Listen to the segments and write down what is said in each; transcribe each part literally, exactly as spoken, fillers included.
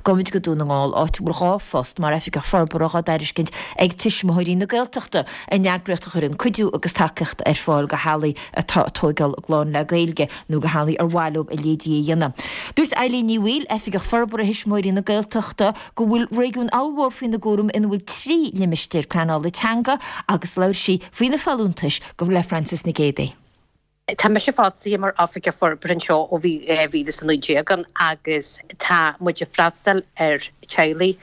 Gabhfaimid go Dún na nGall, áit a bhfuil dhá phost mar oifigeach forbartha á dtairiscint ag Tuismitheoirí na Gaeltachta, an eagraíocht a chuireann cuidiú agus tacaíocht ar fáil do theaghlaigh atá ag tóigeáil a gclann le Gaeilge nó do theaghlaigh ar mhaith leo a leithéidí a dhéanamh. Dúirt Eileen Ní Bhaoill, Oifigeach Forbartha Thuismitheoirí na Gaeltachta, go bhfuil réigiún ollmhór faoina gcúram ina bhfuil trí limistéar pleanála teanga agus labhair sí faoi na folúntais go le Frances Nic Géadaigh. Tá mise fostaithe mar oifigeach forbartha anseo ó bhí dhá mhíle is a naoi déag ann agus tá muid ag freastal ar teaghlaigh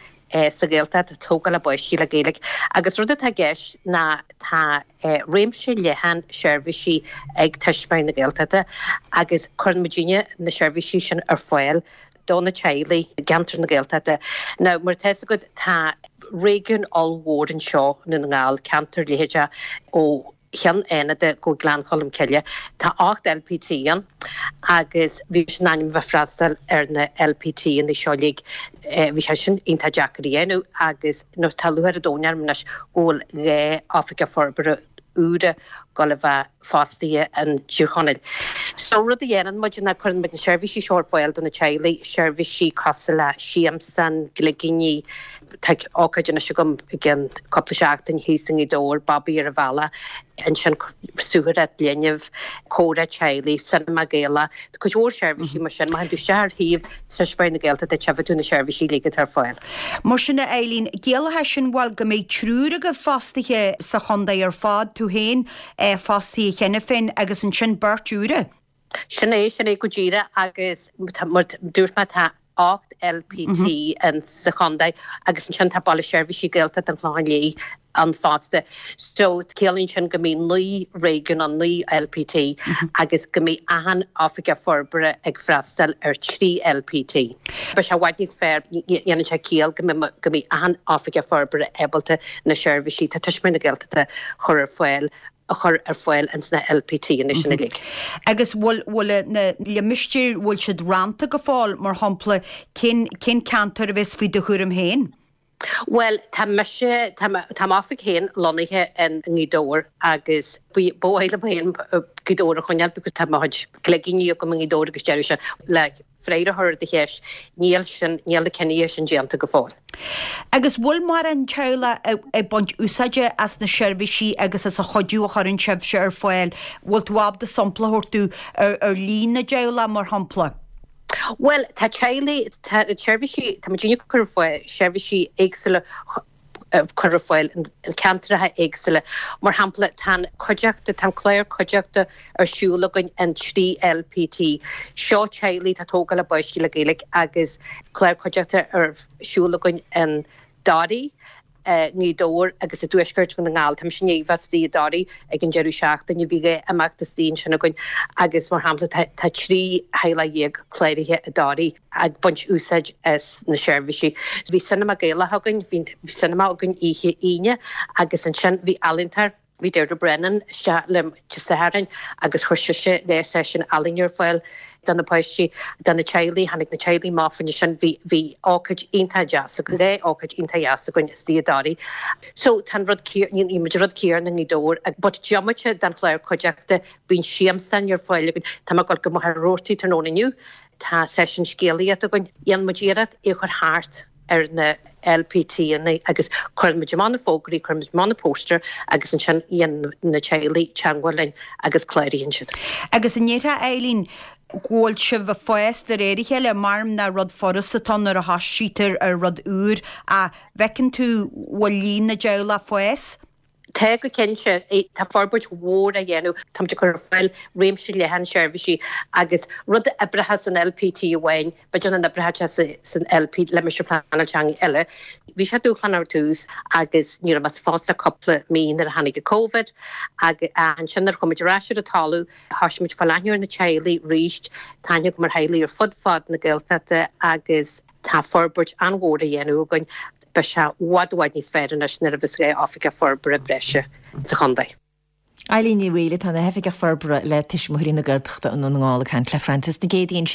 sa Ghaeltacht ag tógáil a bpáistí le Gaeilge agus rud atá i gceist ná tá réimse leathan seirbhísí ag Tuismitheoirí na Gaeltachta agus cuireann muidinne na seirbhísí sin ar fáil do na teaghlaigh i gceantar na Gaeltachta. Now mar atá fhios agat tá réigiún ollmhór anseo i nDún na nGall, ceantar leitheadach ó Cheann Fhánada go Gleann Cholm Cille. Tá ocht LPT ann agus bhí sé in ainm a bheith freastal ar na LPT-anna seo uilig. Bhí sé sin iontach deacair a dhéanamh agus tá lúcháir an domhain orm anois go bhfuil dhá oifigeach forbartha úra ag dul a bheith fostaithe in Tír Chonaill. So rud a dhéanann muid ná cuireann muid na seirbhísí seo ar fáil do na teaghlaigh, seirbhísí cosúil le siamsán, gligíní, tá ócáid anois agam i gceann cúpla seachtain thíos i nGaoth Dobhair, Babaí ar an Bhealach, ansin suathaireacht linbh, comhrá teaghlaigh, cinema Gaelach, tá cuid mhór seirbhísí mar sin. Má théann tú isteach ar shuíomh Tuismitheoirí na Gaeltachta tchífidh tú na seirbhísí uilig atá ar fáil. Mar sin a Eileen, ciallaíonn sé sin bhuel go mbeidh triúr agaibh fostaithe sa chontae ar fad, tú féin fostaithe cheana féin agus ansin beirt úra. Sin é, sin é go díreach agus mar dúirt mé tá ocht LPT in sa chontae agus ansin tá Baile Seirbhísí Gaeltachta an Chlocháin Léith ann fosta. So ciallaíonn sin go mbeidh naoi réigiún ann, naoi LPT agus go mbeidh achan oifigeach forbartha ag freastal ar trí LPT. Beidh sé i bhfad níos fearr, dhéanann sé ciall go mbeidh go mbeidh achan oifigeach forbartha ábalta na seirbhísí tá Tuismitheoirí na Gaeltachta a chur ar fáil a chur ar fáil ins na LPT-anna sin uilig. Agus bhfuil bhfuil na limistéir bhfuil siad rannta go fóill mar shampla cén cén ceantar a bheas faoi do chúram féin? Bhuel tá mise tá tá m'oifig féin lonnaithe in nGaoth Dobhair agus ba mhaith liom féin Gaoth Dobhair a choinneáil because tá mo chuid cloigíní agam i nGaoth Dobhair agus deireadh sé le freagra a chur ar do cheist, níl sin níl na cinntí sin déanta go fóill. Agus bhfuil mórán teaghlach ag baint úsáide as na seirbhísí agus as an chuidiú a chuireann sibhse ar fáil? Bhfuil tú ábalta sampla a thabhairt dúinn ar ar líon na dteaghlach mar shampla? Bhuel tá teaghlaigh tá seirbhísí tá muid ag cur ar fáil seirbhísí éagsúla cur ar fáil in ceantracha éagsúla. Mar shampla tá an cuideachta tá an clár cuideachta ar siúl againn in trí LPT. Seo teaghlaigh atá ag tógáil a bpáistí le Gaeilge agus clár cuideachta ar siúl againn in Doirí, nGaoth Dobhair agus i dTuaisceart Dhún na nGall. Tá mise i ndiaidh bheith istigh i dToraí ag an deireadh seachtaine, bhí dhá imeacht istigh ansin againn agus mar shampla tá tá trí theaghlach dhéag cláraithe i dToraí ag baint úsáid as na seirbhísí. Bhí cinema Gaelach againn, bhí cinema againn oíche Aoine agus ansin bhí ealaíontóir, bhí Deirdre Brennan isteach liom Dé Sathairn agus chuir sise dhá seisiún ealaíne ar fáil do na páistí, do na teaghlaigh, tháinig na teaghlaigh amach fá choinne sin, bhí bhí ócáid iontach deas againn, dhá ócáid iontach dheas againn istigh i dToraí. So tá an rud céanna, ní muid an rud céanna i nGaoth Dobhair, but diomaite den chlár cuideachta, bíonn siamsáin ar fáil againn, tá mé ag dul go Machaire Rabhartaigh tráthnóna inniu, Tá seisiún scéalaíochta againn. Dhéanann muid iarracht é a chur thart ar na LPT-anna agus cuireann muid amach na fógraí, cuireann muid amach na póstaeir agus ansin dhéanann na teaghlaigh teagmháil linn agus cláraíonn siad. Agus an ndéarfá, Eileen, go bhfuil sibh ag fás de réir a chéile? Maram nach rud furasta atá ann nuair a thoisítear ar rud úr ach bhfeiceann tú bhfuil líon na dteaghlach ag fás? Tá go cinnte. Tá forbairt mhór á dhéanamh. Táimid ag cur ar fáil réimse leathan seirbhísí agus rud a oibreochas san LPT amháin, b'fhéidir nach n-oibreoidh sé san LP, Limistéar Pleanála Teanga eile. Bhí sé dúshlánach ar tús agus ní raibh mé sa phost ach cúpla mí nuair a tháinig an Covid agus ansin nuair a chuaigh muid ar ais ar an talamh, thosaigh muid ag fáil aithne ar na teaghlaigh arís. Tá aithne agam ar theaghlaigh ar fud fad na Gaeltachta agus tá forbairt an-mhór á dhéanamh againn. Beidh sé i bhfad i bhfad níos fearr anois nuair a bheas dhá oifigeach forbartha breise sa chontae. Eileen Ní Bhaoill atá ina hOifigeach Forbartha le Tuismitheoirí na Gaeltachta i nDún na nGall ag caint le Frances Nic Géadaigh ansin.